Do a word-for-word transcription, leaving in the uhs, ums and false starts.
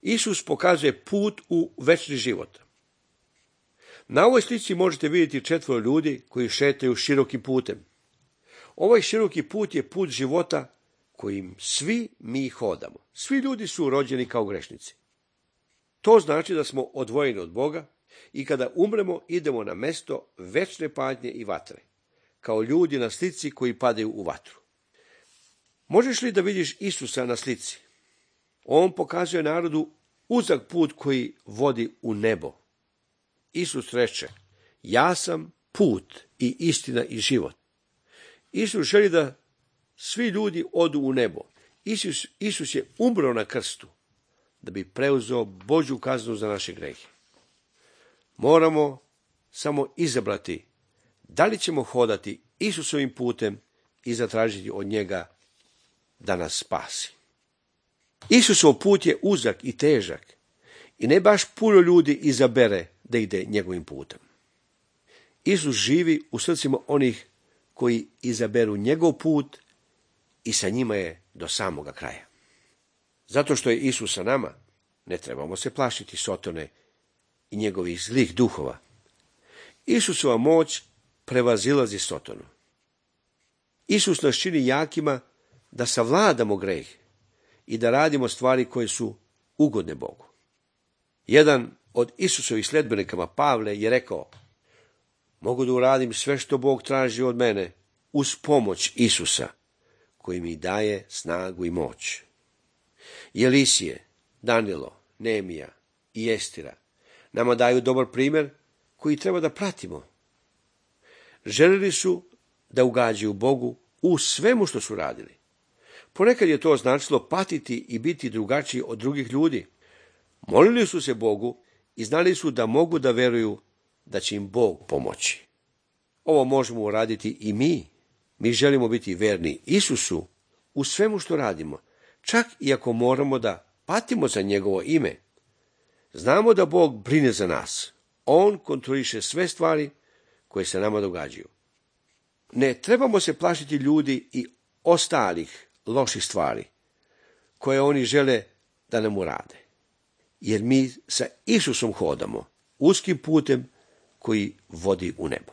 Isus pokazuje put u večni život. Na ovoj slici možete vidjeti četvoro ljudi koji šetaju širokim putem. Ovaj široki put je put života kojim svi mi hodamo. Svi ljudi su rođeni kao grešnici. To znači da smo odvojeni od Boga i kada umremo idemo na mesto večne patnje i vatre, kao ljudi na slici koji padaju u vatru. Možeš li da vidiš Isusa na slici? On pokazuje narodu uzak put koji vodi u nebo. Isus reče, ja sam put i istina i život. Isus želi da svi ljudi odu u nebo. Isus, Isus je umro na krstu da bi preuzeo Božju kaznu za naše grehe. Moramo samo izabrati da li ćemo hodati Isusovim putem i zatražiti od njega da nas spasi. Isusov put je uzak i težak i ne baš puno ljudi izabere da ide njegovim putem. Isus živi u srcima onih koji izaberu njegov put i sa njima je do samoga kraja. Zato što je Isus sa nama, ne trebamo se plašiti Sotone i njegovih zlih duhova. Isusova moć prevazilazi Sotonu. Isus nas čini jakima da savladamo greh i da radimo stvari koje su ugodne Bogu. Jedan od Isusovih sledbenika Pavle je rekao, mogu da uradim sve što Bog traži od mene uz pomoć Isusa, koji mi daje snagu i moć. I Elisije, Danilo, Nemija i Estira nama daju dobar primjer koji treba da pratimo. Želili su da ugađaju Bogu u svemu što su radili. Ponekad je to značilo patiti i biti drugačiji od drugih ljudi. Molili su se Bogu i znali su da mogu da veruju da će im Bog pomoći. Ovo možemo uraditi i mi. Mi želimo biti verni Isusu u svemu što radimo, čak i ako moramo da patimo za njegovo ime. Znamo da Bog brine za nas. On kontroliše sve stvari koje se nama događaju. Ne trebamo se plašiti ljudi i ostalih loših stvari koje oni žele da nam urade. Jer mi sa Isusom hodamo uskim putem koji vodi u nebo.